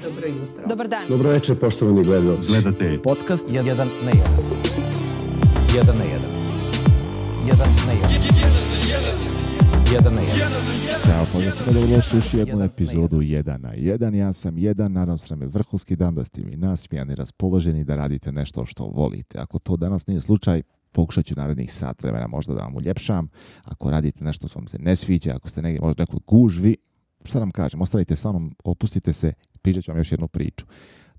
Dobro jutro. Dobar dan. Dobro večer, poštovani gledalci. Gledate podcast 1 na 1. 1 na 1. 1 na 1. 1 na 1. Ćao, pozdrav, dobrodošli u jednu epizodu 1 na 1. Ja sam 1, nadam se da je vrhunski dan, da ste mi nasmijani, raspoloženi, da radite nešto što volite. Ako to danas nije slučaj, pokušat ću narednih sat vremena možda da vam uljepšam. Ako radite nešto što vam se ne sviđa, ako ste negdje možda nekoj gužvi, šta nam kažem, ostavite sa mnom, opustite se, pričat ću vam još jednu priču.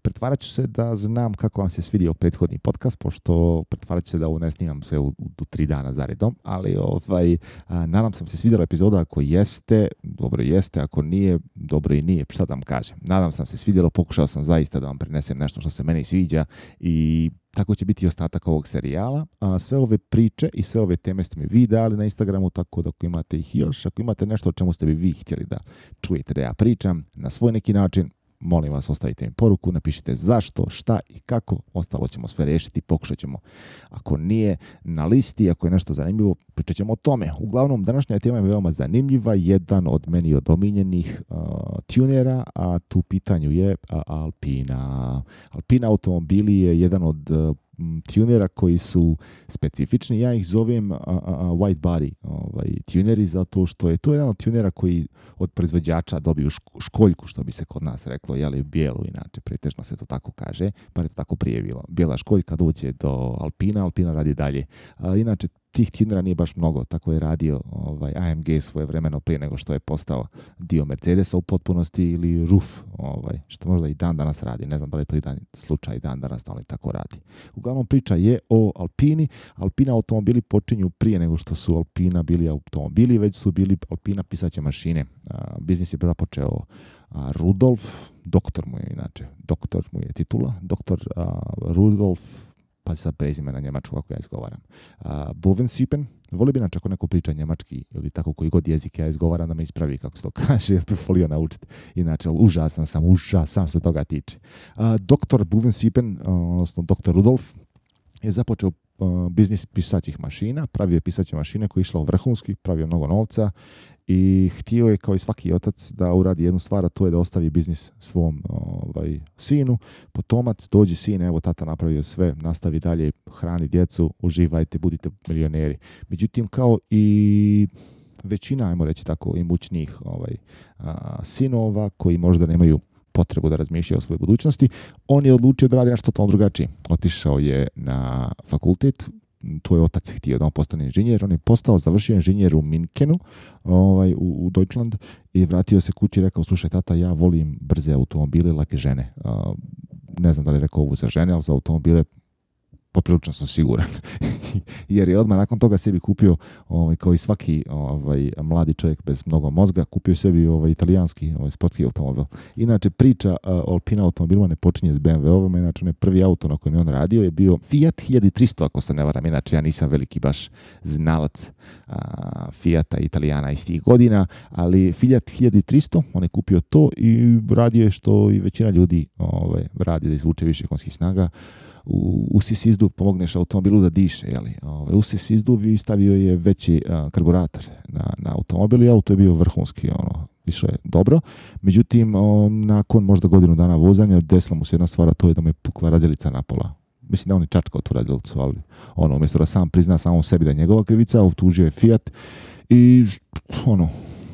Pretvarat ću se da znam kako vam se svidio prethodni podcast, pošto pretvarat ću se da ovo ne snimam sve u 3 dana zaredom, ali nadam se svidjela epizoda. Ako jeste, dobro jeste, ako nije, dobro i nije, šta da vam kažem. Nadam se svidjelo, pokušao sam zaista da vam prenesem nešto što se meni sviđa i tako će biti ostatak ovog serijala. Sve ove priče i sve ove teme ste mi vi dali na Instagramu, tako da ako imate ih još, ako imate nešto o čemu ste bi vi htjeli da čujete da ja pričam na svoj neki način, molim vas, ostavite mi poruku, napišite zašto, šta i kako, ostalo ćemo sve riješiti, pokušat ćemo. Ako nije na listi, ako je nešto zanimljivo, pričat ćemo o tome. Uglavnom, današnja tema je veoma zanimljiva, jedan od meni od omiljenih tunera, a tu pitanju je Alpina. Alpina automobili je jedan od tunera koji su specifični. Ja ih zovem white body tuneri, zato što je to jedan od tunera koji od proizvođača dobiju školjku, što bi se kod nas reklo, jeli bijelu, inače pretežno se to tako kaže, pa je to tako prije bilo. Bijela školjka dođe do Alpina radi dalje. Inače, tih tunera nije baš mnogo, tako je radio AMG svoje vremeno prije nego što je postao dio Mercedesa u potpunosti, ili RUF, što možda i dan danas radi. Ne znam da li je to i slučaj dan danas, ali tako radi. Uglavnom, priča je o Alpini. Alpina automobili počinju prije nego što su Alpina bili automobili, već su bili Alpina pisaće mašine. Biznis je započeo Rudolf, doktor mu je titula, doktor Rudolf, pa sad prezime na njemačku kako ja izgovaram. Bovensiepen, volio bi inače ako neko priča njemački ili tako koji god jezik ja izgovaram da me ispravi kako se to kaže, jer bi volio naučiti. Inače, užasan se toga tiče. Doktor Bovensiepen, odnosno doktor Rudolf, je započeo biznis pisaćih mašina, pravio je pisaće mašine koje je išlo vrhunski, pravio mnogo novca i htio je kao i svaki otac da uradi jednu stvar, a to je da ostavi biznis svom sinu. Potomac, dođi sine, evo tata napravio sve, nastavi dalje, hrani djecu, uživajte, budite milioneri. Međutim, kao i većina, ajmo reći tako, imućnijih sinova koji možda nemaju potrebu da razmišlja o svojoj budućnosti, on je odlučio da radi nešto totalno drugačije. Otišao je na fakultet, to je otac htio da on postane inženjer, on je završio inženjer u Minskenu, u Deutschland, i vratio se kući i rekao, slušaj tata, ja volim brze automobile, lake žene. Ne znam da li je rekao ovo za žene, ali za automobile poprilično sam siguran. Jer je odmah nakon toga sebi kupio, kao i svaki mladi čovjek bez mnogo mozga, kupio sebi italijanski sportski automobil. Inače, priča o Alpina automobilima ne počinje s BMW-ovima, inače prvi auto na kojem je on radio je bio Fiat 1300, ako se ne varam. Inače, ja nisam veliki baš znalac Fiata Italijana iz tih godina, ali Fiat 1300, on je kupio to i radio je što i većina ljudi radi, da izvuče više konjskih snaga. Usis izduv pomogneš automobilu da diše, usis izduv i stavio je veći karburator na automobil i auto je bio vrhunski, išlo je dobro. Međutim, nakon možda godinu dana vozanja desila mu se jedna stvar, a to je da mu je pukla radilica napola. Mislim da on je čačkao tu radilicu, ali umjesto da sam prizna samom sebi da je njegova krivica, optužio je Fiat i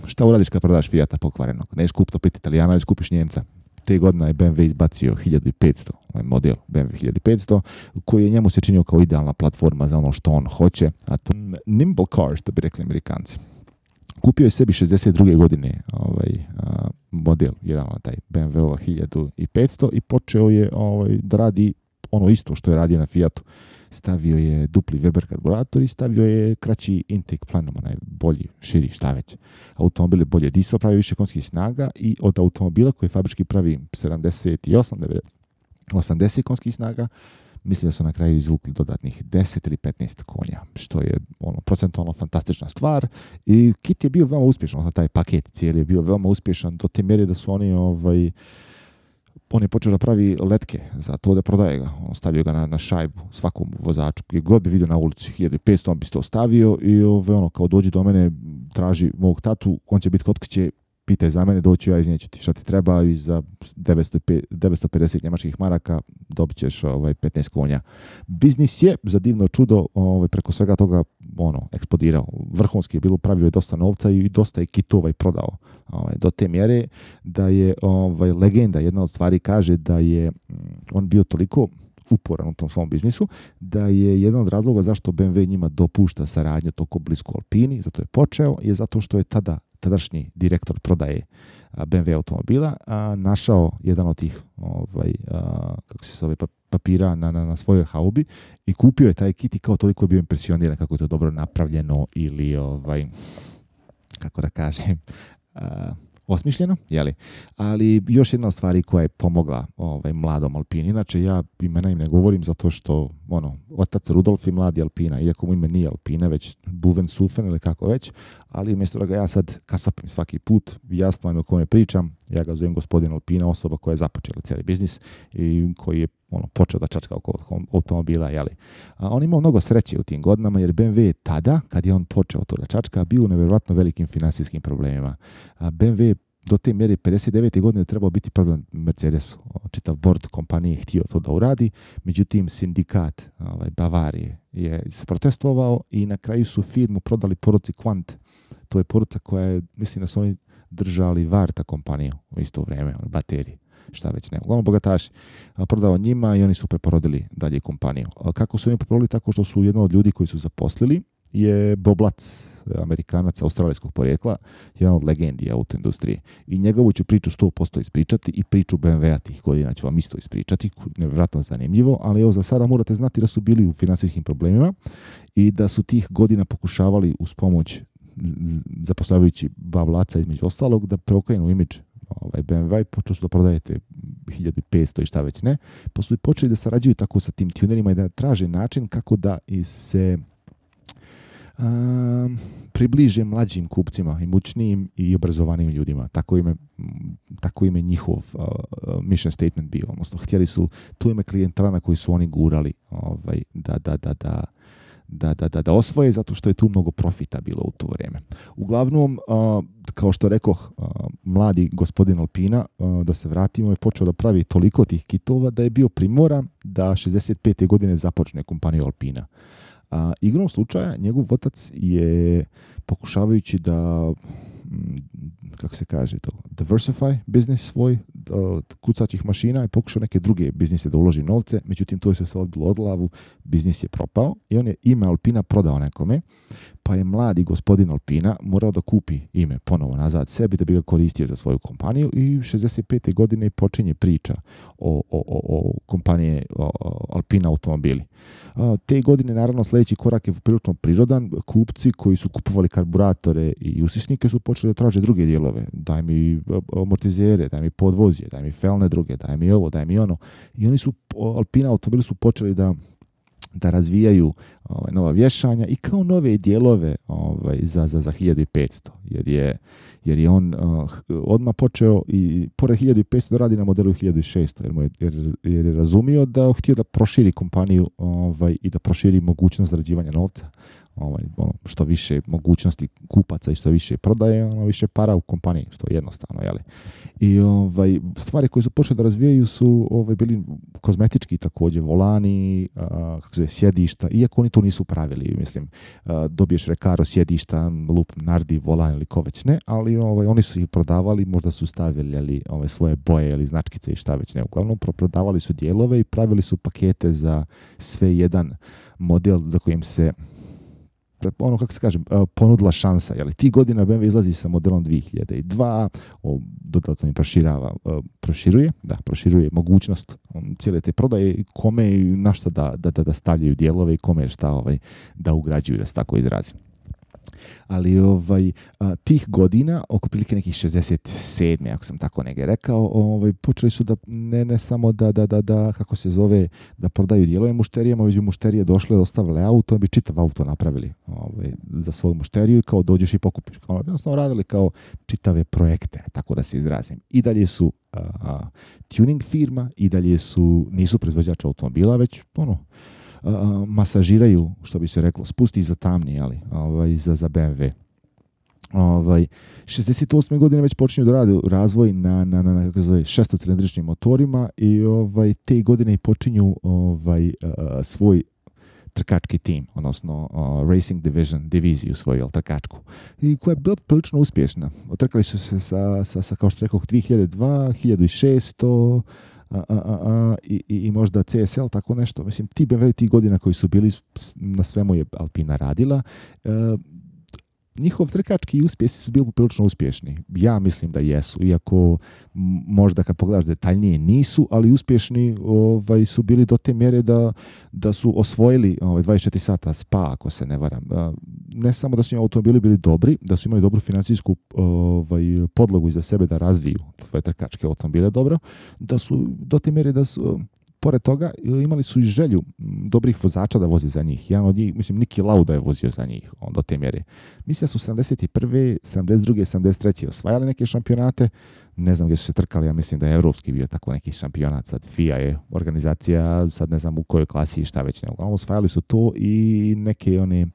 šta uradiš kad prodaš Fiata pokvarenog? Neš kupiti opet Italijana, već kupiš Njemca. Te godine je BMW izbacio 1500, model BMW 1500, koji je njemu se činio kao idealna platforma za ono što on hoće, a to nimble car, što bi rekli Amerikanci. Kupio je sebi 62. godine model, jedan taj BMW 1500 i počeo je da radi ono isto što je radio na Fiatu. Stavio je dupli Weber karburator i stavio je kraći intake planom, onaj bolji, širi, šta već. Automobil je bolje disao, pravi više konjskih snaga i od automobila koji fabrički pravi 78, 80 konjskih snaga, mislim da su na kraju izvukli dodatnih 10 ili 15 konja, što je procentualno fantastična stvar. I kit je bio veoma uspješan, taj paket cijeli je bio veoma uspješan do te mjere da su oni on je počeo da pravi letke za to da prodaje ga. On stavio ga na šajbu svakom vozaču. Gdje god bi vidio na ulici 1500, on bi se to stavio i kao dođi do mene, traži mog tatu, on će biti kod kuće pitaj za mene, doću ja, iznijeću ti šta ti treba i za 950 njemačkih maraka dobit ćeš 15 konja. Biznis je za divno čudo preko svega toga eksplodirao. Vrhunski je bilo, pravio je dosta novca i dosta je kitova i prodao. Do te mjere da je legenda, jedna od stvari kaže da je on bio toliko uporan u tom svom biznisu, da je jedan od razloga zašto BMW njima dopušta saradnju toliko blisko Alpini, zato je počeo, je zato što je tadašnji direktor prodaje BMW automobila našao jedan od tih kako se zove, papira na svojoj haubi i kupio je taj kit i kao toliko je bio impresioniran kako je to dobro napravljeno ili kako da kažem, osmišljeno, jeli? Ali još jedna od stvari koja je pomogla mladom Alpini. Inače, ja imena im ne govorim zato što otac Rudolf je mladi Alpina, iako mu ime nije Alpina, već Buvensufen ili kako već, ali umjesto da ga ja sad kasapim svaki put, jasno vam je o kome pričam, ja ga zovem gospodin Alpina, osoba koja je započela cijeli biznis i koji je počeo da čačka oko automobila, jeli. On imao mnogo sreće u tim godinama, jer BMW je tada, kad je on počeo to da čačka, bio u nevjerojatno velikim finansijskim problemima. BMW do te mjere 59. godine trebao biti prodan Mercedesu. Čitav board kompanije htio to da uradi, međutim sindikat Bavarije je protestovao i na kraju su firmu prodali porodici Quant. To je porodica koja je, mislim da su oni držali Varta kompaniju u isto vrijeme, baterije. Šta već ne. Uglavnom bogataši prodao njima i oni su preporodili dalje kompaniju. Kako su oni preporodili? Tako što su jedno od ljudi koji su zaposlili je Bob Lutz, Amerikanac australijskog porijekla, jedan od legendi autoindustrije. I njegovu ću priču 100% ispričati i priču BMW-a tih godina ću vam isto ispričati. Nevjerojatno zanimljivo, ali evo za sada morate znati da su bili u financijskim problemima i da su tih godina pokušavali uz pomoć zaposlavajući Bob Lutza između ostalog da preokrenu imidž BMW i počeli su da prodajete 1500 i šta već ne, pa su i počeli da sarađuju tako sa tim tunerima i da traže način kako da se približe mlađim kupcima, imućnijim i obrazovanim ljudima. Tako im je njihov mission statement bio. Odnosno, htjeli su tu ime klijentela na koji su oni gurali da osvoje, zato što je tu mnogo profita bilo u to vrijeme. Uglavnom, kao što rekoh, mladi gospodin Alpina, da se vratimo, je počeo da pravi toliko tih kitova da je bio primoran da 65. godine započne kompaniju Alpina. Igrom slučaja, njegov otac je pokušavajući da kako se kaže to, diversify biznis svoj kucaćih mašina i pokušao neke druge biznise da uloži novce, međutim to je se odbilo od glavu, biznis je propao i on je ime Alpina prodao nekome, pa je mladi gospodin Alpina morao da kupi ime ponovo nazad sebi da bi ga koristio za svoju kompaniju i 65. godine počinje priča o kompanije Alpina automobili. Te godine, naravno, sljedeći korak je prilično prirodan. Kupci koji su kupovali karburatore i usisnike su počeli da traže druge dijelove. Daj mi amortizere, daj mi podvozje, daj mi felne druge, daj mi ovo, daj mi ono. I oni su, Alpina automobili su počeli da razvijaju nova vješanja i kao nove dijelove za 1500, jer je on odmah počeo i pored 1500 da radi na modelu 1600, jer je razumio da htio da proširi kompaniju i da proširi mogućnost zarađivanja novca. Što više mogućnosti kupaca i što više prodaje, više para u kompaniji, što je jednostavno, jeli. I stvari koje su počeli da razvijaju su bili kozmetički također, volani, sjedišta, iako oni to nisu pravili, mislim, dobiješ Recaro sjedišta, lup Nardi, volan ili ko već ne, ali oni su ih prodavali, možda su stavili svoje boje ili značkice i šta već ne. Uglavnom, prodavali su dijelove i pravili su pakete za sve jedan model za kojim se kako se kažem, ponudila šansa. Jeli, ti godina BMW izlazi sa modelom 2002, dodatno im proširuje mogućnost cijele te prodaje i kome i na što da stavljaju dijelove i kome šta da ugrađuju, da se tako izrazim. Ali tih godina, oko prilike nekih 67. ako sam tako negdje rekao, počeli su da ne samo da kako se zove, da prodaju dijelove mušterijama, već bi mušterije došle, ostavile auto, bi čitav auto napravili za svoju mušteriju i kao dođeš i pokupiš. Jednostavno radili kao čitave projekte, tako da se izrazim. I dalje su tuning firma, i dalje nisu proizvođači automobila, već masažiraju, što bi se reklo, spusti za tamni, za BMW. 68. godine već počinju da rade razvoj na kako se zove, šestocilindričnim motorima i te godine počinju svoj trkački tim, odnosno Racing diviziju svoju, trkačku, i koja je bila prilično uspješna. Trkali su se sa kao što rekoh, 2002, 1600 i možda CSL, tako nešto. Mislim, ti BMW tih godina koji su bili, na svemu je Alpina radila. Njihov trkački uspjesi su bili prilično uspješni. Ja mislim da jesu, iako možda kad pogledaš detaljnije nisu, ali uspješni su bili do te mjere da su osvojili 24 sata Spa, ako se ne varam. Ne samo da su im automobili bili dobri, da su imali dobru financijsku podlogu iza sebe da razviju svoje trkačke automobile dobro, da su do te mjere da su pored toga imali su i želju dobrih vozača da voze za njih. Jedan od njih, mislim, Niki Lauda je vozio za njih do te mjere. Mislim da su 71. 72. 73. osvajali neke šampionate. Ne znam gdje su se trkali, ja mislim da je evropski bio tako neki šampionat. Sad FIA je organizacija, sad ne znam u kojoj klasi i šta već ne. Uglavnom osvajali su to i neke one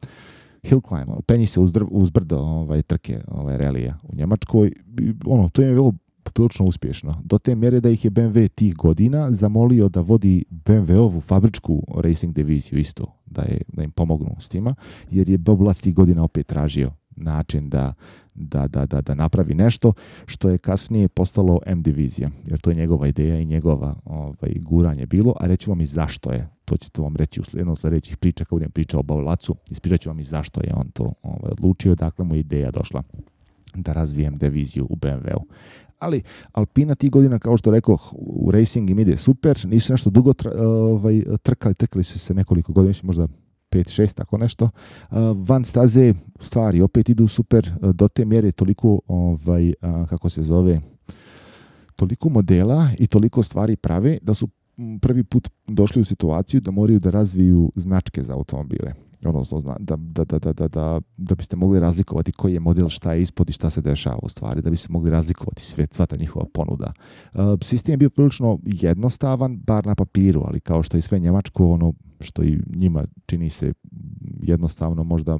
hill climb, penji se uz brdo trke relija u Njemačkoj. To im je bilo prilično uspješno. Do te mjere da ih je BMW tih godina zamolio da vodi BMW-ovu fabričku racing diviziju isto, da im pomognu s tima, jer je Bob Lutz tih godina opet tražio način da napravi nešto što je kasnije postalo M divizija, jer to je njegova ideja i njegova guranje bilo, a reću vam i zašto je. To ćete vam reći u jednom sljedećih priča kad budem pričao o Bob Lutzu, ispričat ću vam i zašto je on to odlučio, dakle mu je ideja došla da razvijem diviziju u BMW-u. Ali Alpina tih godina, kao što rekao, u racing im ide super, nisu nešto dugo trkali su se nekoliko godina, možda 5-6, tako nešto. Van staze stvari opet idu super, do te mjere toliko, kako se zove, toliko modela i toliko stvari prave da su prvi put došli u situaciju da moraju da razviju značke za automobile. Odnosno, da biste mogli razlikovati koji je model, šta je ispod i šta se dešava u stvari, da biste mogli razlikovati sva ta njihova ponuda. Sistem je bio prilično jednostavan, bar na papiru, ali kao što je sve njemačko, ono što i njima čini se jednostavno, možda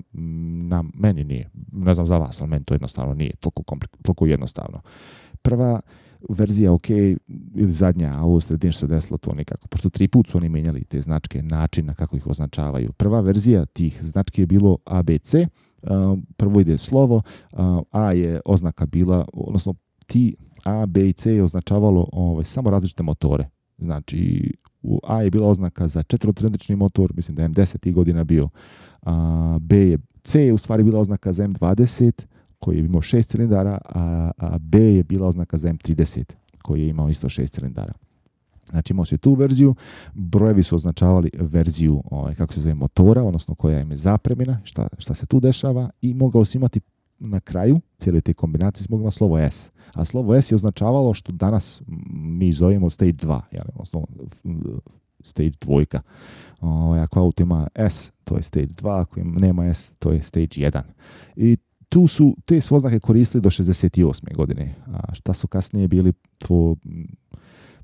meni nije. Ne znam za vas, ali meni to jednostavno nije toliko jednostavno. Prva verzija ok, ili zadnja, a ovo sredin što se desilo to nikako, pošto 3 put su oni mijenjali te značke, načina kako ih označavaju. Prva verzija tih znački je bilo ABC, prvo ide slovo, A je oznaka bila, odnosno ti A, B i C je označavalo samo različite motore. Znači, A je bila oznaka za četverocilindrični motor, mislim da je M10 godina bio, C je u stvari bila oznaka za M20, koji je imao 6 cilindara, a B je bila oznaka za M30, koji je imao isto 6 cilindara. Znači imao se tu verziju, brojevi su označavali verziju kako se zove motora, odnosno koja im je zapremina, šta se tu dešava, i mogao se imati na kraju cijele te kombinacije se moglo imati slovo S. A slovo S je označavalo što danas mi zovemo stage 2, odnosno stage 2. Ako auto ima S, to je stage 2, ako nema S, to je stage 1. I tu su te oznake koristili do 68. godine. A šta su kasnije bili, to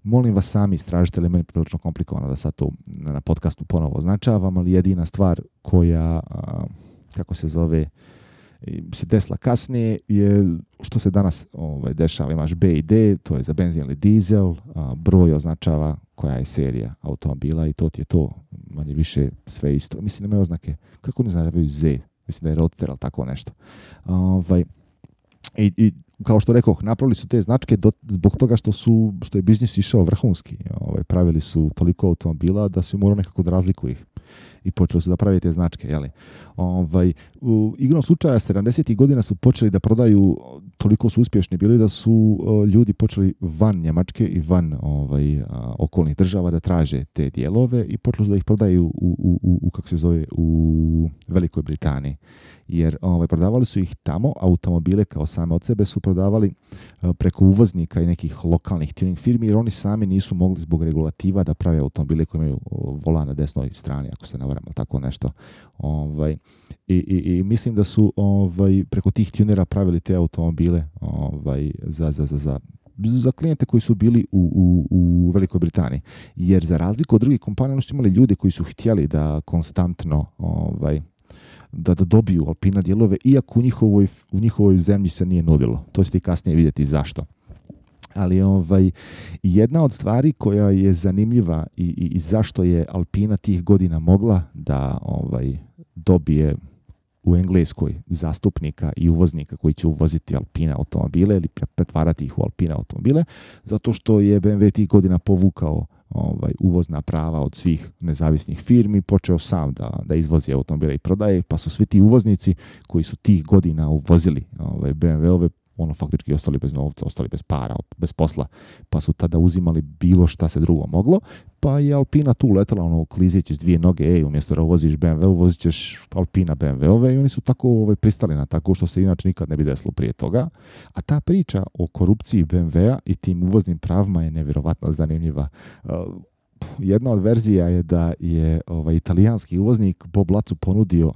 molim vas sami istražite, ali meni je prilično komplikovano da sad to na podcastu ponovo označavam, ali jedina stvar koja, kako se zove, se desila kasnije je što se danas dešava. Imaš B i D, to je za benzin ili dizel, broj označava koja je serija automobila i to ti je to, manje više sve isto. Mislim, nemaju oznake, kako ne označavaju Z, mislim da je Roadster, ali tako nešto. I kao što rekoh, napravili su te značke zbog toga što je biznis išao vrhunski. Pravili su toliko automobila da su morali nekako da razlikuju ih. I počeli su da pravi te značke. Jeli? U igrom slučaja 70. godina su počeli da prodaju, toliko su uspješni bili da su ljudi počeli van Njemačke i van okolnih država da traže te dijelove i počeli su da ih prodaju kako se zove, u Velikoj Britaniji. Jer prodavali su ih tamo, automobile kao same od sebe su prodavali preko uvoznika i nekih lokalnih tuning firmi, jer oni sami nisu mogli zbog regulativa da prave automobile koji imaju volan na desnoj strani, ako se ne varam, tako nešto. I mislim da su preko tih tunera pravili te automobile za klijente koji su bili u Velikoj Britaniji. Jer za razliku od drugih kompanija, oni su imali ljudi koji su htjeli da konstantno da dobiju Alpina dijelove, iako u njihovoj zemlji se nije nudilo. To ćete kasnije vidjeti zašto. Ali jedna od stvari koja je zanimljiva i zašto je Alpina tih godina mogla da dobije u Engleskoj zastupnika i uvoznika koji će uvoziti Alpina automobile ili pretvarati ih u Alpina automobile, zato što je BMW tih godina povukao uvozna prava od svih nezavisnih firmi, počeo sam da izvozi automobile i prodaje, pa su svi ti uvoznici koji su tih godina uvozili BMW-ove faktički ostali bez novca, ostali bez para, bez posla, pa su tada uzimali bilo šta se drugo moglo, pa je Alpina tu letala klizeći s dvije noge, umjesto da uvoziš BMW, uvozit ćeš Alpina BMW-ove i oni su tako pristali na tako što se inače nikad ne bi desilo prije toga. A ta priča o korupciji BMW-a i tim uvoznim pravima je nevjerovatno zanimljiva. Jedna od verzija je da je italijanski uvoznik Bob Lacu ponudio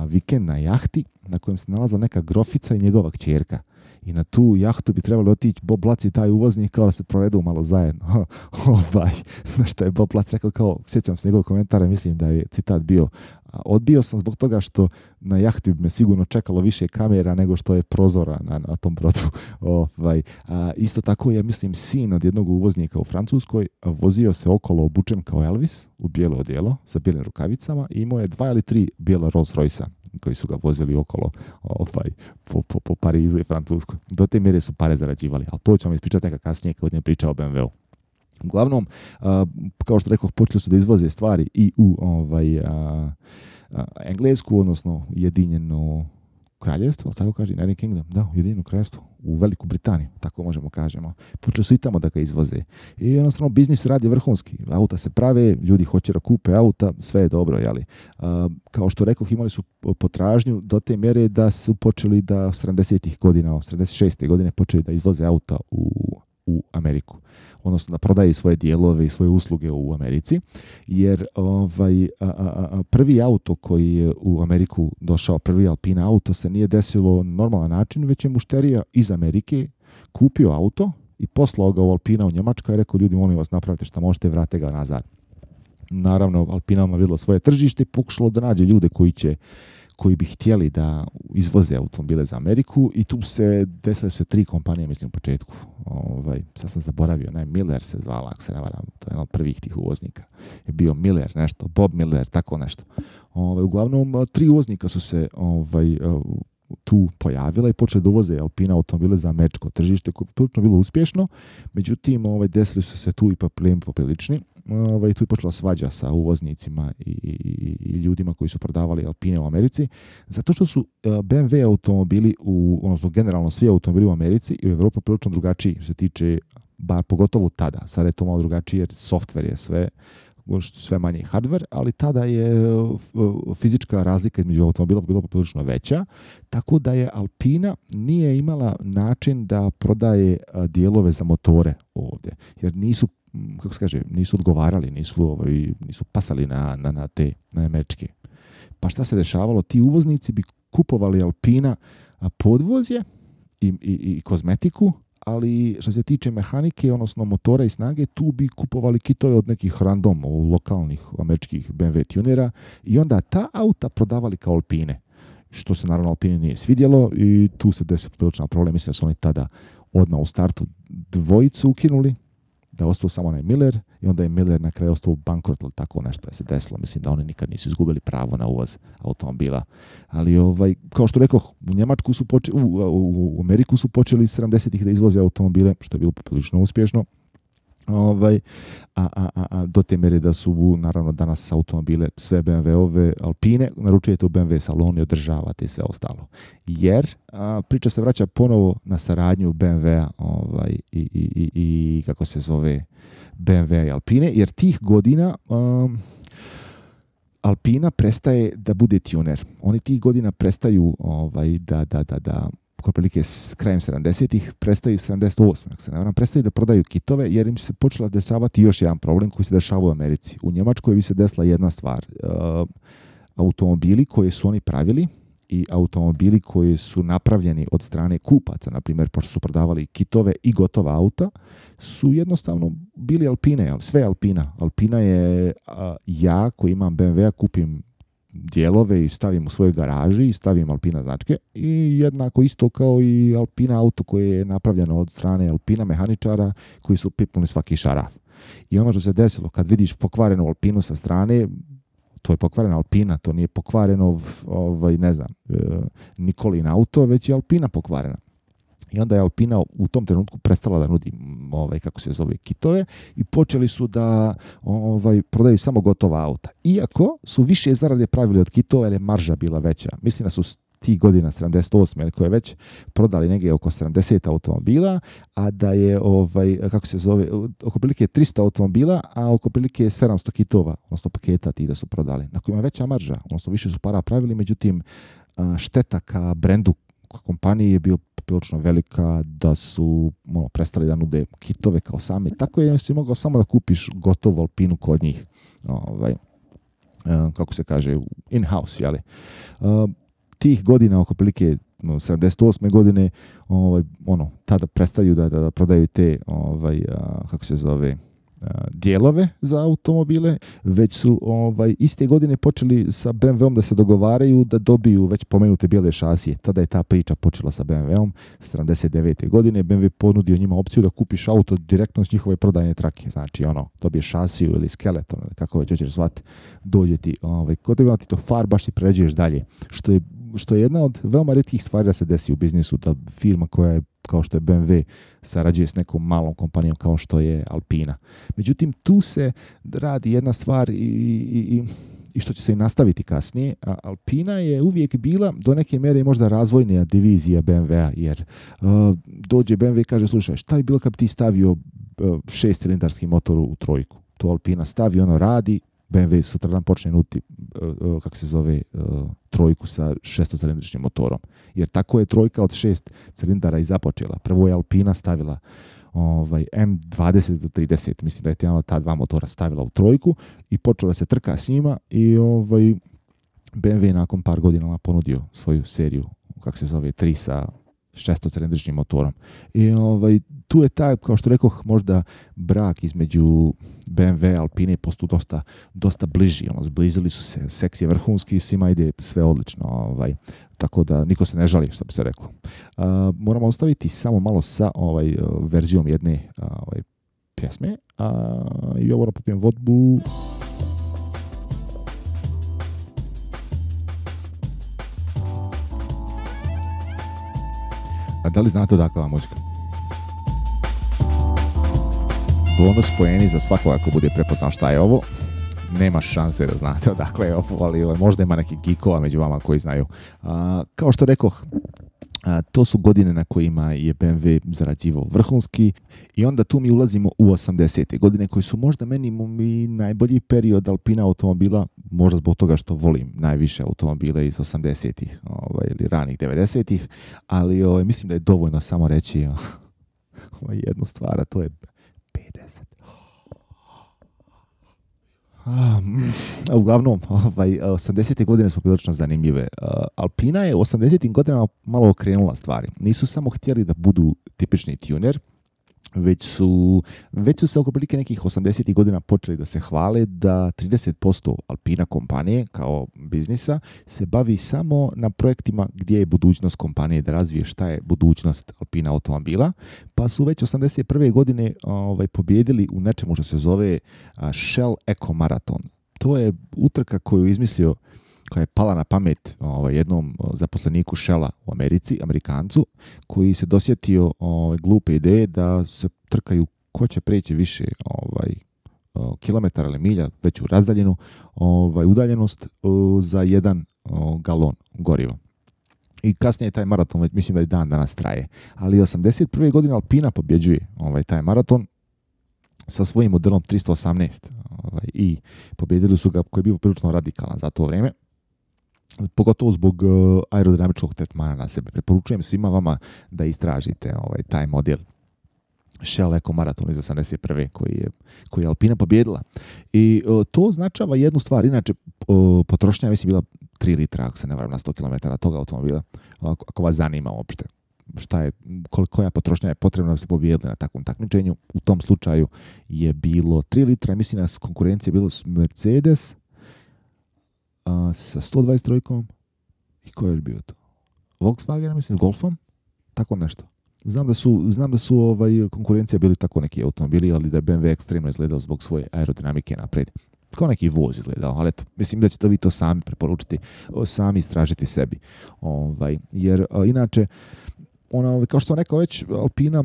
vikend na jahti na kojem se nalazila neka grofica i njegova kćerka. I na tu jahtu bi trebalo otići Bob Lac i taj uvoznik kao da se provedu malo zajedno. Na što je Bob Lac rekao, sjećam se njegovog komentara, mislim da je citat bio: odbio sam zbog toga što na jahti bi me sigurno čekalo više kamera nego što je prozora na tom brodu. Isto tako je, mislim, sin od jednog uvoznika u Francuskoj vozio se okolo obučen kao Elvis u bijelo odijelo sa bijelim rukavicama i imao je 2 ili 3 bijela Rolls Royce-a koji su ga vozili okolo po Parizu i Francuskoj. Do te mjere su pare zarađivali, ali to ću vam ispričati neka kasnije kad budem pričao o BMW-u. Uglavnom, kao što rekao, počeli su da izvoze stvari i u Englesku, odnosno Ujedinjeno kraljevstvo, tako kaže, United Kingdom, da, Ujedinjeno kraljevstvo, u Veliku Britaniju, tako možemo kažemo. Počeli su i tamo da ga izvoze. I jednostavno biznis radi vrhunski. Auta se prave, ljudi hoće da kupe auta, sve je dobro, jeli. Kao što rekoh, imali su potražnju do te mjere da su počeli da 70-ih godina, 76. godine počeli da izvoze auta u Ameriku. Odnosno da prodaju svoje dijelove i svoje usluge u Americi, jer prvi auto koji je u Ameriku došao, prvi Alpina auto, se nije desilo na normalan način, već je mušterija iz Amerike kupio auto i poslao ga u Alpina u Njemačku i rekao: ljudi, molim vas, napravite šta možete, vrate ga nazad. Naravno, Alpina je vidjela svoje tržište i pokušalo da nađe ljude koji bi htjeli da izvoze automobile za Ameriku i tu se desile 3 kompanije, mislim, u početku. Sad sam zaboravio, Miller se zvala, ako se ne varam, to je jedan od prvih tih uvoznika. Je bio Miller nešto, Bob Miller, tako nešto. Uglavnom, 3 uvoznika su se tu pojavila i počeli da uvoze Alpina automobile za američko tržište, koje je prilično bilo uspješno. Međutim, desili su se tu i problemi poprilični. Tu je počela svađa sa uvoznicima i ljudima koji su prodavali Alpine u Americi, zato što su BMW automobili, odnosno generalno svi automobili u Americi i u Evropi prilično drugačiji, što se tiče, bar pogotovo tada. Sada je to malo drugačije jer software je sve manje hardware, ali tada je fizička razlika između automobila bila poprilično veća, tako da je Alpina nije imala način da prodaje dijelove za motore ovdje, jer nisu odgovarali, nisu pasali na te američke. Pa šta se dešavalo? Ti uvoznici bi kupovali Alpina podvozje i kozmetiku, ali što se tiče mehanike, odnosno motora i snage, tu bi kupovali kitove od nekih random, lokalnih američkih BMW tunera i onda ta auta prodavali kao Alpine, što se naravno Alpini nije svidjelo i tu se desio priličan problem. Mislim da su oni tada odmah u startu dvojicu ukinuli, da ostao samo onaj Miller i onda je Miller na kraju ostao u bankrot ili tako nešto je se desilo. Mislim da oni nikad nisu izgubili pravo na uvoz automobila. Ali kao što rekoh, u Njemačku su u Ameriku su počeli 70-ih da izvoze automobile, što je bilo poprilično uspješno. Do te mjere da su naravno danas automobile, sve BMW-ove Alpine, naručujete u BMW salonu i održavate i sve ostalo. Jer priča se vraća ponovo na saradnju BMW-a i kako se zove BMW i Alpine, jer tih godina Alpina prestaje da bude tuner. Oni tih godina prestaju da otprilike s krajem 70-ih, prestaju 78. Ako se ne varam, prestaju da prodaju kitove jer im se počela dešavati još jedan problem koji se dešava u Americi. U Njemačkoj bi se desila jedna stvar. Automobili koje su oni pravili i automobili koji su napravljeni od strane kupaca, na primjer, pošto su prodavali kitove i gotova auta, su jednostavno bili Alpine, sve Alpina. Alpina je ja koji imam BMW-a, kupim dijelove i stavim u svojoj garaži i stavim Alpina značke i jednako isto kao i Alpina auto koje je napravljeno od strane Alpina mehaničara koji su pipnuli svaki šaraf. I ono što se desilo, kad vidiš pokvarenu Alpinu sa strane, to je pokvarena Alpina, to nije pokvareno Nikolin auto, već je Alpina pokvarena. I onda je Alpina u tom trenutku prestala da nudi kitove i počeli su da prodaju samo gotova auta. Iako su više zarade pravili od kitova jer je marža bila veća. Mislim da su tih godina 78 ili koje već prodali negdje oko 70 automobila, a da je oko prilike 300 automobila, a oko prilike 700 kitova, odnosno paketa ti da su prodali. Na kojima je veća marža, odnosno više su para pravili, međutim šteta ka brendu kompanije je bio prilično velika da su prestali da nude kitove kao same. Tako je si mogao samo da kupiš gotovu Alpinu kod njih. In-house, jeli? Tih godina, oko prilike 78. godine, tada prestaju da prodaju te, dijelove za automobile, već su iste godine počeli sa BMW-om da se dogovaraju da dobiju već pomenute bijele šasije. Tada je ta priča počela sa BMW-om 79. godine. BMW ponudio njima opciju da kupiš auto direktno s njihove prodajne trake. Znači, dobiješ šasiju ili skeleton, ili kako već hoćeš zvati, dođe ti, kod tebe ti to farbaš i pređeš dalje. Što je jedna od veoma rijetkih stvari da se desi u biznisu, da firma koja je kao što je BMW sarađuje s nekom malom kompanijom kao što je Alpina. Međutim, tu se radi jedna stvar i što će se i nastaviti kasnije. Alpina je uvijek bila do neke mjere možda razvojnija divizija BMW-a, jer dođe BMW i kaže, slušaj, šta bi bilo kad bi ti stavio 6-cilindarski motor u trojku? To Alpina stavi, radi, BMW sutradan počne nuti trojku sa 6-cilindričnim motorom. Jer tako je trojka od 6 cilindara i započela. Prvo je Alpina stavila M20 do 30, mislim da je ta dva motora stavila u trojku i počela se trka s njima i BMW nakon par godina ponudio svoju seriju, 3 sa 6-cilindričnim motorom. I tu je taj, kao što rekoh, možda brak između BMW i Alpine postao dosta bliži. Zblizili su se, seks je vrhunski, svima ide sve odlično. Tako da niko se ne žali, što bi se reklo. Moramo ostaviti samo malo sa verzijom jedne pjesme. I ovo popijem vodbu. A da li znate odakle ova muzika? Bonus poeni za svakoga ko bude prepoznao šta je ovo. Nema šanse da znate odakle je ovo, ali možda ima neki geekova među vama koji znaju. Kao što rekoh, to su godine na kojima je BMW zarađivao vrhunski i onda tu mi ulazimo u 80. godine koji su možda meni najbolji period Alpina automobila, možda zbog toga što volim najviše automobile iz 80-ih ili ranih 90-ih, ali mislim da je dovoljno samo reći jednu stvar, a to je 50. Uglavnom, 80. godine su prilično zanimljive. Alpina je u 80. godinama malo okrenula stvari. Nisu samo htjeli da budu tipični tuner, već su se oko prilike nekih 80. godina počeli da se hvale da 30% Alpina kompanije kao biznisa se bavi samo na projektima gdje je budućnost kompanije, da razvije šta je budućnost Alpina automobila, pa su već 81. godine pobjedili u nečemu što se zove Shell Eco Marathon. To je utrka koju je izmislio, koja je pala na pamet jednom zaposleniku Shella u Americi, Amerikancu, koji se dosjetio glupe ideje da se trkaju ko će preći više kilometara ili milja, veću razdaljenu udaljenost za 1 galon goriva. I kasnije taj maraton, mislim da i dan danas traje. Ali 81. godine Alpina pobjeđuje taj maraton sa svojim modelom 318 i pobjedili su ga, koji je bio prilično radikalan za to vrijeme. Pogotovo zbog aerodinamičkog tretmana na sebe. Preporučujem svima vama da istražite taj model Shell Eco Marathon iz 81. koji je Alpina pobjedila. I to označava jednu stvar. Inače, potrošnja mislim bila 3 litra, ako se ne varam, na 100 km toga automobila. Ako vas zanima uopšte koja potrošnja je potrebna da se pobjedili na takvom takmičenju. U tom slučaju je bilo 3 litra. Mislim da su konkurencije bilo Mercedes, sa 123 i ko je još bio to? Volkswagen, mislim, Golfom? Tako nešto. Znam da su konkurencija bili tako neki automobili, ali da je BMW ekstremno izgledao zbog svoje aerodinamike napred. Kao neki voz izgledao, ali eto, mislim da ćete vi to sami preporučiti, sami istražiti sebi. Jer inače, kao što sam rekao već, Alpina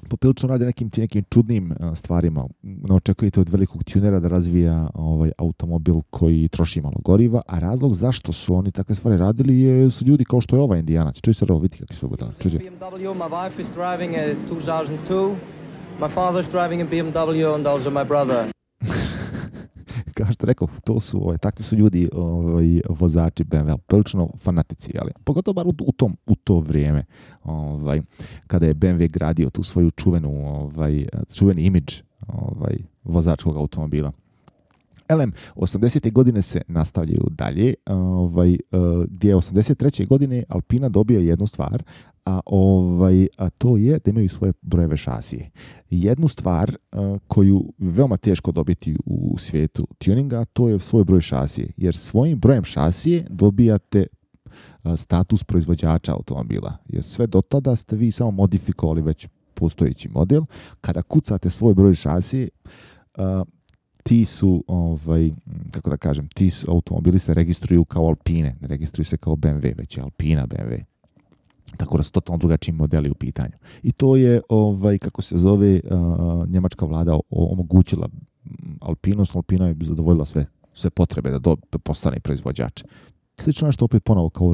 poprilično radi nekim čudnim stvarima. Ne očekujete od velikog tunera da razvija automobil koji troši malo goriva, a razlog zašto su oni takve stvari radili su ljudi kao što je ovaj Indijanac. Čuj se ovo, vidi kakvi su godina. BMW, my wife is driving a 2002. My father's driving a BMW and also my brother. Kao što rekao, to su, takvi su ljudi, vozači BMW, prilično fanatici, ali pogotovo bar u to vrijeme, kada je BMW gradio tu svoju čuveni imidž vozačkog automobila. 80. godine se nastavljaju dalje, gdje je 83. godine Alpina dobio jednu stvar, a to je da imaju svoje brojeve šasije. Jednu stvar koju veoma teško dobiti u svijetu tuninga, to je svoj broj šasije, jer svojim brojem šasije dobijate status proizvođača automobila, jer sve do tada ste vi samo modifikovali već postojeći model. Kada kucate svoj broj šasije, ti automobili se registruju kao Alpine, ne registruju se kao BMW, već je Alpina BMW. Tako da su totalno drugačiji modeli u pitanju. I to je, njemačka vlada omogućila Alpinu, Alpina je zadovoljila sve potrebe da postane proizvođač. Slično nešto opet ponovo kao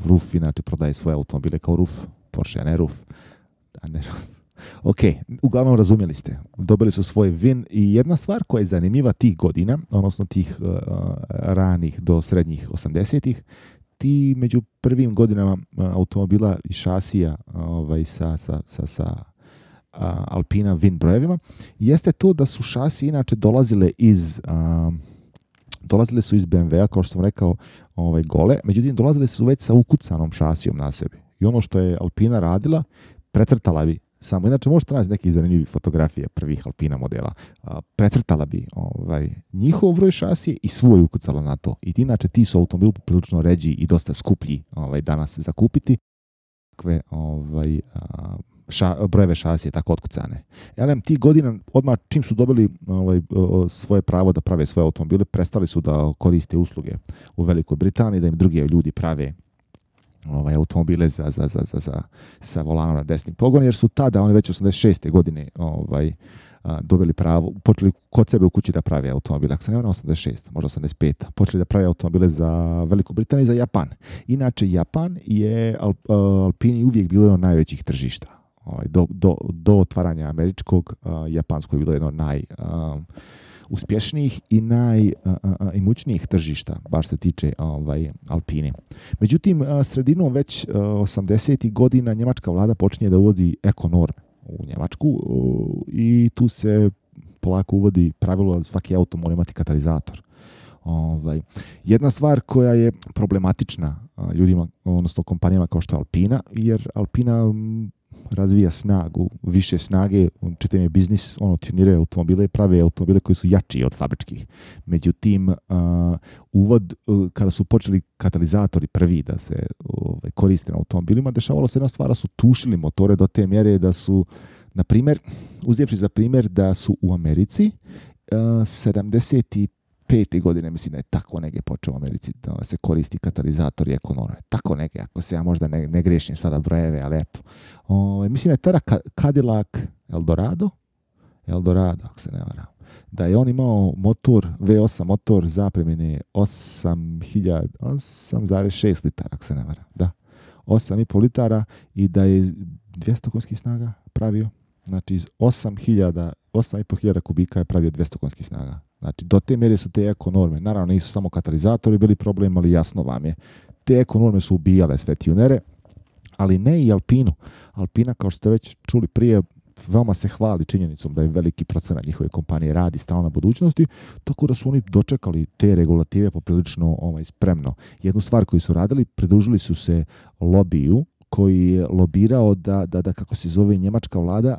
RUF, inače prodaje svoje automobile kao RUF, Porsche, a ne RUF. Ok, uglavnom razumjeli ste. Dobili su svoj VIN i jedna stvar koja je zanimljiva tih godina, odnosno tih ranih do srednjih 80-ih, ti među prvim godinama automobila i šasija sa Alpina VIN brojevima, jeste to da su šasije inače dolazile su iz BMW-a, kao što sam rekao, gole, međutim dolazile su već sa ukucanom šasijom na sebi. I ono što je Alpina radila, precrtala bi samo, inače možete naći neki zanimljivi fotografije prvih Alpina modela, precrtala bi njihov broj šasije i svoj ukucala na to. I inače ti su automobili prilično ređi i dosta skuplji danas za kupiti. Takve brojeve šasije tako otkucane. Ti godina, odmah čim su dobili svoje pravo da prave svoje automobile, prestali su da koriste usluge u Velikoj Britaniji, da im drugi ljudi prave automobile sa volanom na desni pogon, jer su tada, oni već 86. godine dobili pravo, počeli kod sebe u kući da prave automobile. Ako se ne varam, 86, možda 85. Počeli da prave automobile za Veliku Britaniju i za Japan. Inače, Japan je Alpini uvijek bilo jedno od najvećih tržišta. Do otvaranja američkog, japansko je bilo jedno od uspješnijih i najimućnijih tržišta, bar se tiče Alpine. Međutim, sredinom već 80. godina njemačka vlada počinje da uvodi ekonorme u Njemačku i tu se polako uvodi pravilo da svaki auto mora imati katalizator. Jedna stvar koja je problematična ljudima, odnosno kompanijama kao što je Alpina, jer Alpina razvija snagu, više snage, čitam je biznis, tuniraju automobile i prave automobile koji su jači od fabričkih. Međutim, kada su počeli katalizatori prvi da se koriste na automobilima, dešavalo se jedna stvar, su tušili motore do te mjere da su, na primjer, uzevši za primjer da su u Americi 75. godine, mislim da je tako negdje počeo u Americi da se koristi katalizator i ekonorme. Tako negdje, ako se ja možda ne grešim sada brojeve, ali eto. Mislim da je tada Cadillac Eldorado, ako se ne varam, da je on imao motor, V8 motor zapremine 8,6 litara, ako se ne varam. Da, 8,5 litara i da je 200 konjskih snaga pravio. Znači, iz 8.500 kubika je pravio 200 konjskih snaga. Znači, do te mjere su te ekonorme. Naravno, nisu samo katalizatori bili problem, ali jasno vam je. Te ekonorme su ubijale sve tunere, ali ne i Alpinu. Alpina, kao što ste već čuli prije, veoma se hvali činjenicom da je veliki procenat njihove kompanije radi stalno na budućnosti, tako da su oni dočekali te regulative poprilično spremno. Jednu stvar koju su radili, pridružili su se lobiju koji je lobirao da kako se zove njemačka vlada,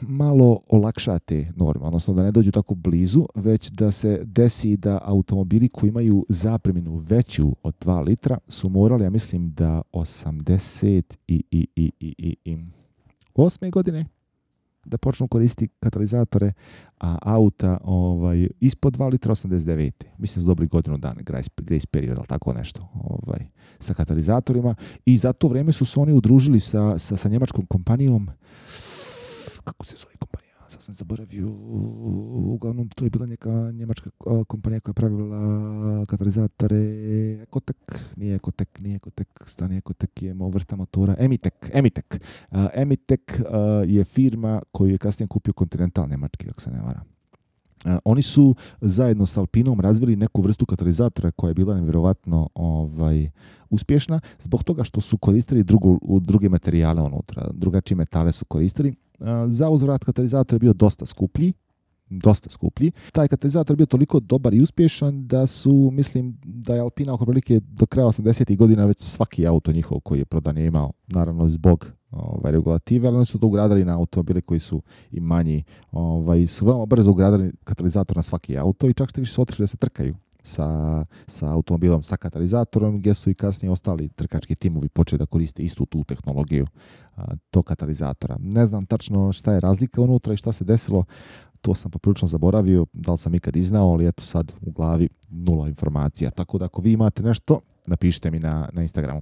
malo olakša te norme, odnosno da ne dođu tako blizu, već da se desi da automobili koji imaju zapreminu veću od 2 litra su morali, ja mislim da 88. godine da počnu koristiti katalizatore, a auta ispod 2 litra 89. Mislim da su dobili godinu dana grace period, ali tako nešto, sa katalizatorima. I za to vrijeme su se oni udružili sa njemačkom kompanijom. Kako se zove kompanija? Sad sam zaboravio. Uglavnom, to je bila neka njemačka kompanija koja je pravila katalizatore. Nije Ekotek, stani Ekotek je vrsta motora. Emitek. Emitek je firma koju je kasnije kupio Continental njemački, ako se ne varam. Oni su zajedno s Alpinom razvili neku vrstu katalizatora koja je bila nevjerovatno uspješna zbog toga što su koristili druge materijale unutra. Drugačije metale su koristili. Za uzvrat katalizator je bio dosta skuplji. Taj katalizator je bio toliko dobar i uspješan da je Alpina oko prilike do kraja 80. godina već svaki auto njihov koji je prodan je imao, naravno zbog regulative, ali oni su to ugradili na automobile koji su i manji, su veoma brzo ugradili katalizator na svaki auto i čak što više su otišli da se trkaju sa automobilom sa katalizatorom, gdje su i kasnije ostali trkački timovi počeli da koriste istu tu tehnologiju tog katalizatora. Ne znam tačno šta je razlika unutra i šta se desilo, to sam poprilično zaboravio, da li sam ikad iznao, ali eto sad u glavi nula informacija. Tako da ako vi imate nešto, napišite mi na Instagramu.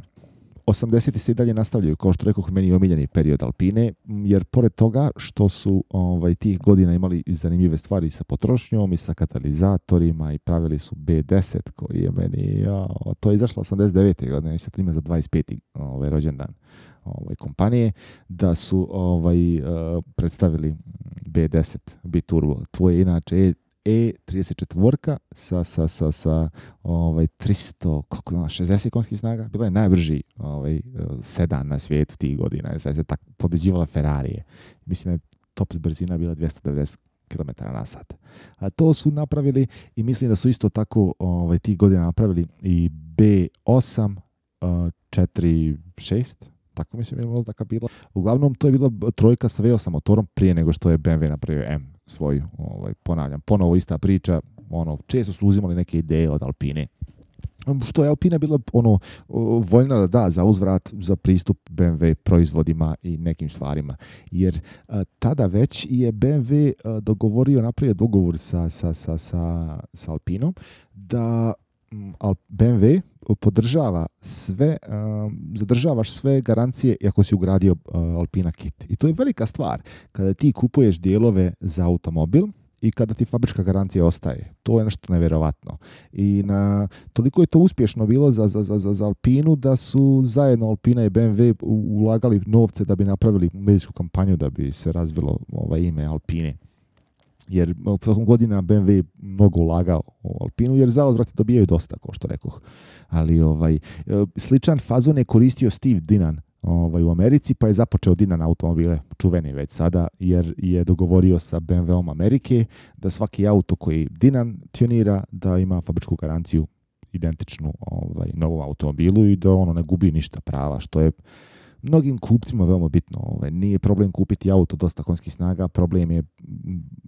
80. se i dalje nastavljaju, kao što rekoh, meni omiljeni period Alpine, jer pored toga što su tih godina imali zanimljive stvari sa potrošnjom i sa katalizatorima i pravili su B10 koji je meni, to je izašlo 89. godine, i sad ima za 25. rođendan kompanije, da su predstavili B10 Biturbo. To je inače E34 sa 360 konjskih snaga. Bila je najbrži sedan na svijetu tih godina. Sad se tako pobjeđivala Ferrarije. Mislim da je top brzina bila 290 km/h. A to su napravili i mislim da su isto tako tih godina napravili i B8 4.6. Tako mislim je možda bila. Uglavnom, to je bila trojka sa V8 motorom prije nego što je BMW napravio M svoju. Ponavljam, ponovo ista priča. Često su uzimali neke ideje od Alpine. Što je Alpina bila voljna da da za uzvrat za pristup BMW proizvodima i nekim stvarima. Jer tada već je BMW napravio dogovor sa Alpinom da BMW podržava zadržavaš sve garancije ako si ugradio Alpina kit. I to je velika stvar kada ti kupuješ dijelove za automobil i kada ti fabrička garancija ostaje. To je nešto nevjerovatno. I toliko je to uspješno bilo za Alpinu da su zajedno Alpina i BMW ulagali novce da bi napravili medijsku kampanju da bi se razvilo ime Alpine. Jer tokom godina BMW mnogo ulagao u Alpinu, jer za uzvrat dobijaju dosta, kao što rekoh. Ali sličan fazon je koristio Steve Dinan u Americi, pa je započeo Dinan automobile, čuveni već sada, jer je dogovorio sa BMW-om Amerike da svaki auto koji Dinan tunira da ima fabričku garanciju identičnu novom automobilu i da ono ne gubi ništa prava, što je mnogim kupcima veoma bitno. Nije problem kupiti auto dosta konjskih snaga, problem je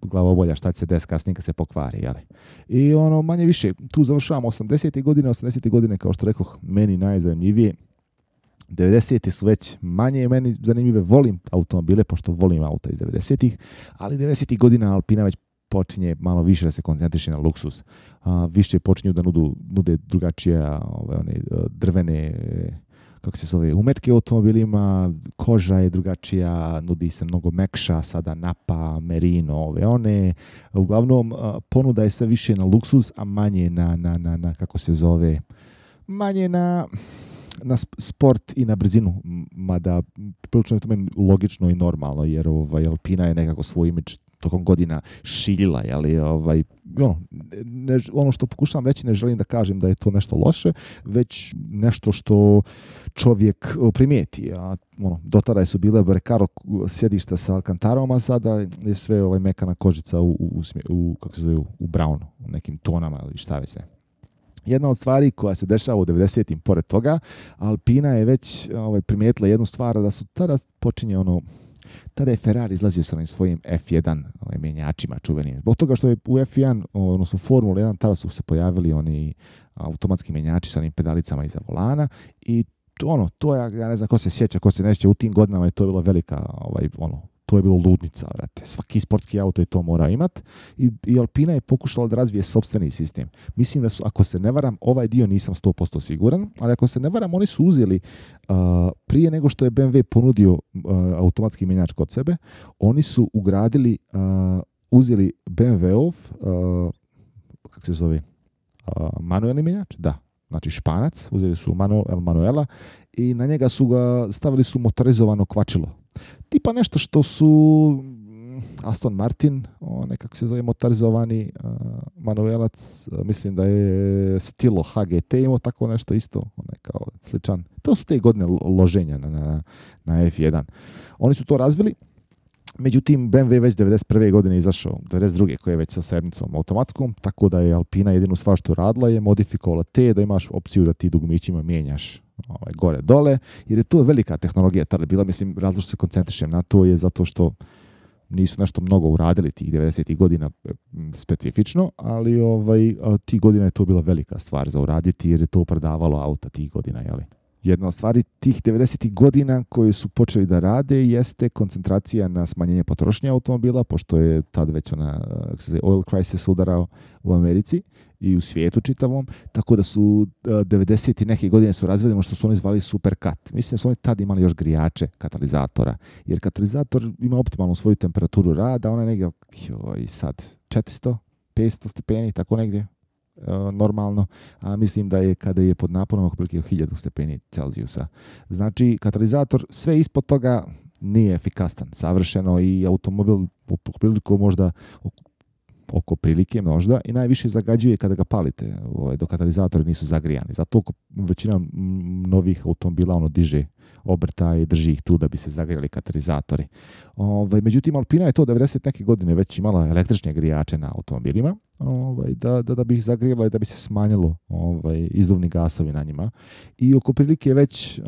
glavobolja šta će se desiti kasnije kad se pokvari. Jeli? I manje više, tu završavamo 80. godine, kao što rekoh, meni najzanimljivije. 90. su već manje meni zanimljive, volim automobile, pošto volim auta iz 90. ali 90. godina Alpina već počinje malo više da se koncentriše na luksus. Više počinju da nude drugačije drvene umetke u automobilima, koža je drugačija, nudi se mnogo mekša, sada Napa, Merino, uglavnom ponuda je sve više na luksuz, a manje na manje na sport i na brzinu, mada prilično je to meni logično i normalno, jer Alpina je nekako svoj imidž tokom godina šiljila, ono što pokušavam reći, ne želim da kažem da je to nešto loše, već nešto što čovjek primijeti. Do tada su bile Recaro sjedišta sa Alcantarom, a sada je sve mekana kožica u brownu, u nekim tonama ili šta već ne. Jedna od stvari koja se dešava u 90-im pored toga, Alpina je već primijetila jednu stvar, da su tada počinje Tada je Ferrari izlazio sa onim svojim F1 mjenjačima čuvenim. Zbog toga što je u F1, odnosno Formula 1, tada su se pojavili oni automatski mjenjači sa onim pedalicama iza volana i to je, ja ne znam ko se sjeća, ko se ne sjeća, u tim godinama je to bilo velika, to je bilo ludnica, vrate. Svaki sportski auto je to mora imat i Alpina je pokušala da razvije sopstveni sistem. Mislim da su, ako se ne varam, ovaj dio nisam 100% siguran, ali ako se ne varam, oni su uzeli prije nego što je BMW ponudio automatski mjenjač kod sebe, oni su ugradili, uzeli BMW-ov, kako se zove, manuelni mjenjač, da. Znači Španac, uzeli su Manuela i na njega stavili su motorizovano kvačilo. Tipa nešto što su Aston Martin, nekako se zove motorizovani Manuelac, mislim da je Stilo HGT imao tako nešto isto, kao sličan. To su te godine loženja na F1. Oni su to razvili. Međutim, BMW već 91. godine izašao, 92. koji je već sa sedmicom automatskom, tako da je Alpina jedinu stvar što radila je modifikovala da imaš opciju da ti dugmićima mijenjaš gore dole, jer je to velika tehnologija tada bila, mislim, razlog što se koncentrišem na to je zato što nisu nešto mnogo uradili tih 90. godina specifično, ali tih godina je to bila velika stvar za uraditi jer je to prodavalo auta tih godina, jeli? Jedna od stvari tih 90. godina koje su počeli da rade jeste koncentracija na smanjenje potrošnje automobila, pošto je tad već oil crisis udarao u Americi i u svijetu čitavom, tako da su 90. neke godine su razvili ono što su oni zvali superkat. Mislim da su oni tad imali još grijače katalizatora, jer katalizator ima optimalnu svoju temperaturu rada, ona je negdje sad 400, 500 stepeni, tako negdje. Normalno, a mislim da je kada je pod naponom oko prilike 1000 stepeni Celzijusa. Znači, katalizator sve ispod toga nije efikasan, savršeno i automobil oko prilike možda i najviše zagađuje kada ga palite, dok katalizatori nisu zagrijani. Zato većina novih automobila diže obrta i drži ih tu da bi se zagrijali katalizatori. Međutim, Alpina je to 90 neke godine već imala električne grijače na automobilima, da bi ih zagrijala i da bi se smanjilo izduvni gasovi na njima. I oko prilike već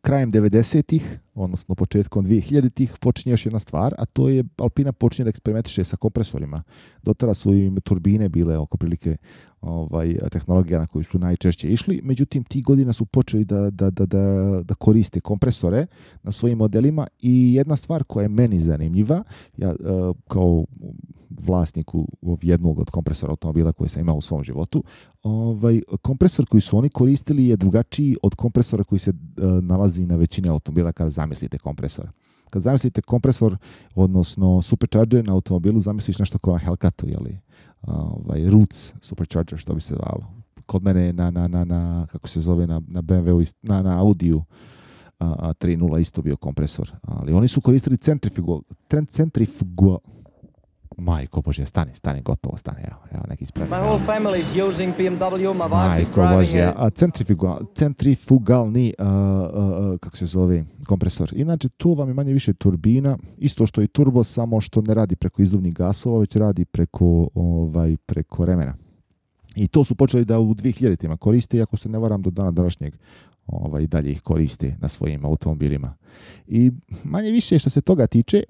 krajem 90-ih, odnosno početkom 2000-ih, počinje još jedna stvar, a to je Alpina počinje da eksperimentiše sa kompresorima. Do tada su im turbine bile oko prilike tehnologija na koju su najčešće išli, međutim, tih godina su počeli da koriste kompresore na svojim modelima i jedna stvar koja je meni zanimljiva, ja kao vlasniku jednog od kompresora automobila koji sam imao u svom životu, kompresor koji su oni koristili je drugačiji od kompresora koji se nalazi na većini automobila kada zamislite kompresor. Kad zamislite kompresor, odnosno supercharger na automobilu, zamisliš nešto kao na Hellcatu, jeli? Roots supercharger, što bi se zvalo. Kod mene na kako se zove, na BMW, na Audiju 3.0 isto bio kompresor. Ali oni su koristili centrifugal. Majko Bože, stani, gotovo, stane, evo neki ispravljaj. My whole family is using BMW, my wife is driving centrifugalni, kako se zove, kompresor. Inače, to vam je manje više turbina, isto što i turbo, samo što ne radi preko izduvnih gasova, već radi preko remena. I to su počeli da u 2000-ima koriste, iako se ne varam do dana današnjeg dalje ih koriste na svojim automobilima. I manje više što se toga tiče,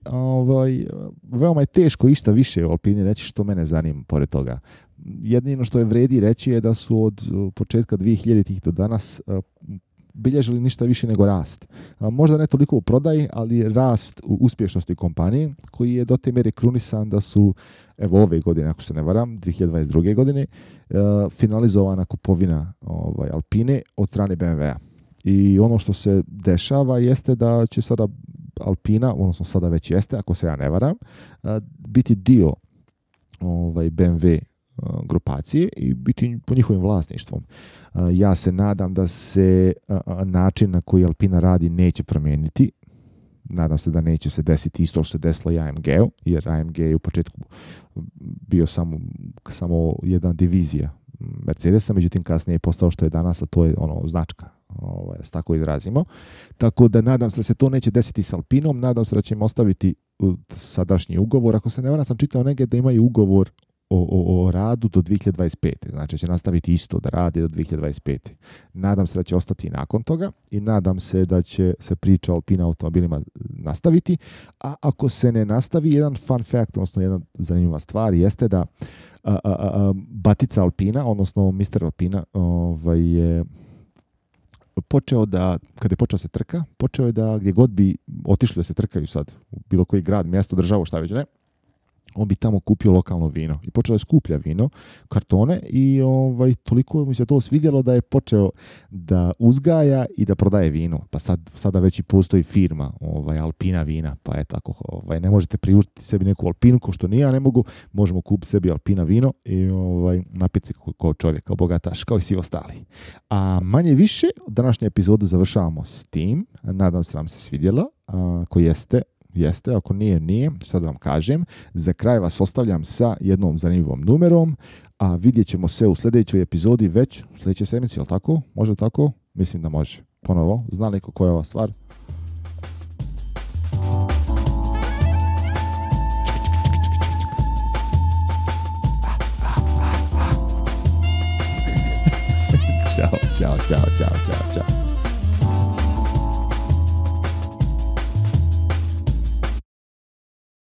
veoma je teško išta više o Alpini reći što mene zanima pored toga. Jedino što je vredi reći je da su od početka 2000-ih do danas bilježili ništa više nego rast. Možda ne toliko u prodaji, ali rast u uspješnosti kompanije, koji je do te mjere krunisan da su, evo ove godine, ako se ne varam, 2022. godine, finalizovana kupovina Alpine od strane BMW-a. I ono što se dešava jeste da će sada Alpina, odnosno sada već jeste, ako se ja ne varam, biti dio BMW grupacije i biti po njihovim vlasništvom. Ja se nadam da se način na koji Alpina radi neće promijeniti. Nadam se da neće se desiti isto što se desilo i AMG-u, jer AMG je u početku bio samo jedna divizija Mercedesa, međutim kasnije je postao što je danas, a to je značka, da se tako izrazimo. Tako da nadam se da se to neće desiti s Alpinom, nadam se da će im ostaviti sadašnji ugovor. Ako se ne varam, sam čitao negdje da imaju ugovor o radu do 2025. Znači će nastaviti isto da radi do 2025. Nadam se da će ostati nakon toga i nadam se da će se priča o Alpina automobilima nastaviti, a ako se ne nastavi, jedan fun fact, odnosno jedna zanimljiva stvar jeste da batica Alpina, odnosno Mr. Alpina, je počeo da, kada je počeo se trka, počeo je da gdje god bi otišli da se trkaju sad, u bilo koji grad, mjesto, državu, šta već ne, on bi tamo kupio lokalno vino i počeo da skuplja vino, kartone i toliko mu se to svidjelo da je počeo da uzgaja i da prodaje vino. Pa sada već i postoji firma Alpina vina, pa je tako, ne možete priuštiti sebi neku Alpinu, ko što ni ja ne mogu, možemo kupiti sebi Alpina vino i napiti se kao čovjek, kao bogataš, kao i svi ostali. A manje više, današnju epizodu završavamo s tim, nadam se vam se svidjelo, ako jeste, ako nije, sad vam kažem. Za kraj vas ostavljam sa jednom zanimljivom numerom, a vidjet ćemo se u sljedećoj epizodi već u sljedećoj sedmici, jel tako? Može tako? Mislim da može. Ponovo, zna li koja je ova stvar? Ćao.